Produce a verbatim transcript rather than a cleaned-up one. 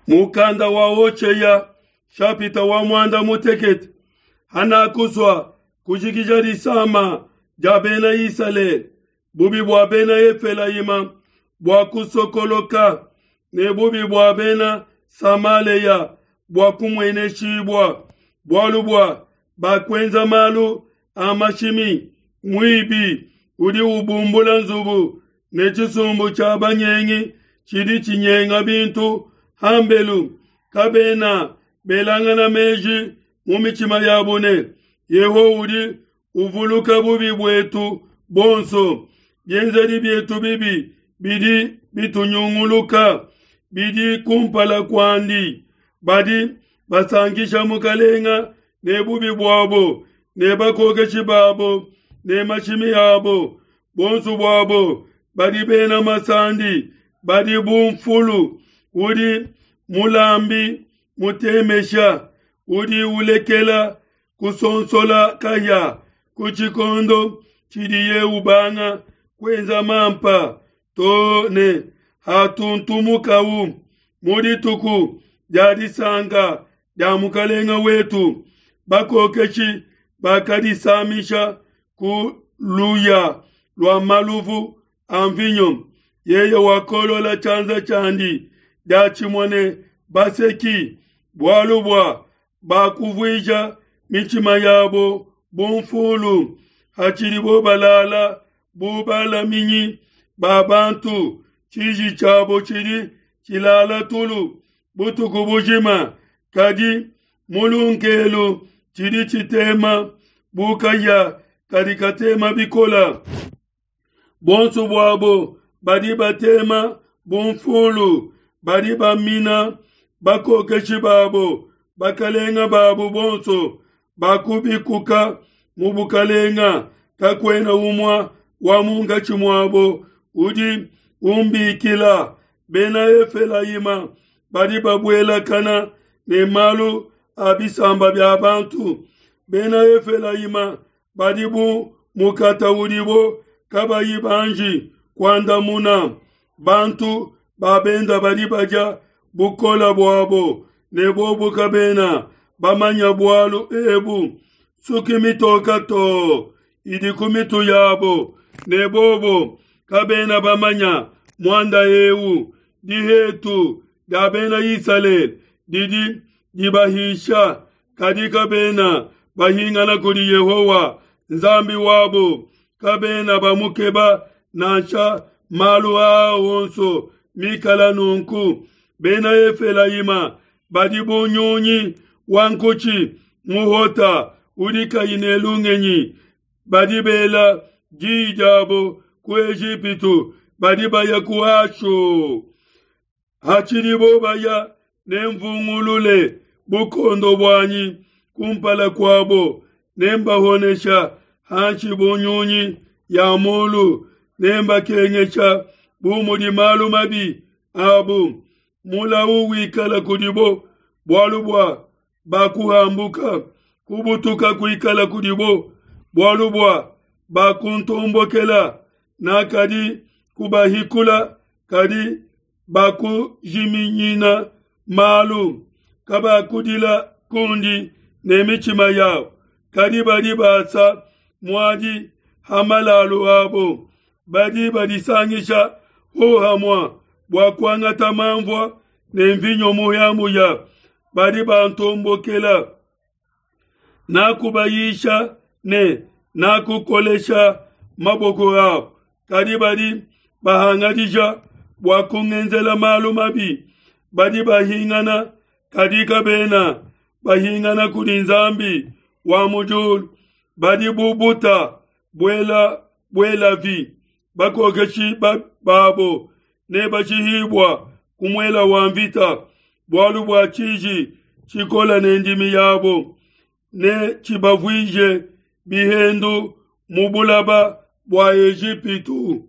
Mukanda wa Hoshea shapita wa mwanda mutekete hanakusua kujikija disama dia bena Isalele, bubi bua bena Efelayima bua kusokoloka ne bubi bua bena Samaleya bua kumueneshibua, bualu bua bakuenza malu a mashimi. Muibi udi ubumbula nzubu ne tshisumbu tshia banyengi tshidi tshinyenga bintu hambelu. Kabena belangana meji mu mitshima yabo ne, Yehowa udi uvuluka bubi buetu bonso, bienzedi bietu bibi bidi bitunyunguluka, bidi kumpala kuandi. Badi basankisha mukalenga ne bubi buabo, ne bakokeshi babo ne mashimi abo. Bonso buabo badi bena masandi, badi bu mfulu udi mulambi mutemesha, udi ulekela kusonsola kahia ku tshikondo tshidiye ubanga kuenza mampa to ne hatuntumukau mu dituku dia disanka dia mukalenga wetu. Bakokeshi bakadisamisha ku luya lua maluvu a mvinyo. Yeye wakolola tshianza tshiandi diatshimue ne baseki, bualu bua bakuvuija mitshima yabo bu mfulu, hatshidibo balala bu balaminyi ba bantu. Tshiji tshiabo tshidi tshilala tulu butuku bujima, kadi mu lunkelu tshidi tshitema bu kahia kadi katema bikola. Bonso buabo badi batema bu mfulu, badi bamina bakokeshi babo, bakalenga babo bonso bakubikuka mu bukalenga. Kakuena umue wa munkatshi muabo udi umbikila. Bena Efelayima badi babuelakana ne malu a bisamba bia bantu. Bena Efelayima badi bu mukata udibo kabayi banji kuandamuna. Bantu ba benda badi badia bukola buabo, ne bobo kabena bamanya bualu ebu. Suki mitoka to idi ku mitu yabo, ne bobo kabena bamanya muanda eu. Dihetu dia bena Isalele didi dibahisha, kadi kabena bahingana kudi Yehowa Nzambi wabo, kabena bamukeba nansha. Malu aa onso mikala nunku, bena Efelayima badi bu nyunyi wa nkutshi muhota udi kayi ne lungenyi. Badi bela diyi diabo ku Ejipitu, badi baya ku Ashu. Hatshidibo baya, nemvungulule bukondo buanyi kumpala kuabo, nembahonesha hanshi bu nyunyi ya mulu, nembakengesha bu mudi malu mabi abu. Mulau wikala kudibo, bualu bua bakuhambuka, kubutuka kuikala kudibo, bualu bua bakuntombokela. Nakadi kubahikula, kadi bakujiminyina malu. Kabakudila kundi ne mitshima yabo, kadi badi basa muadi ha malalu abo. Badi badisangisha hohamua bua kuangata manvua ne mvinyo muhia-muhia. Badi bantombokela. Nakubayisha ne nakukolesha maboko abo, kadi badi bahangadija bua kungenzela malu mabi. Badi bahingana, kadi kabena bahingana kudi Nzambi wa mu diulu. Badi bu buta buela buelavi, bakokeshi babo ne bashihibua ku muela wa mvita, bualu bua tshiji tshikola ne ndimi yabo ne tshibavuije bihendu mu bulaba bua Ejipitu.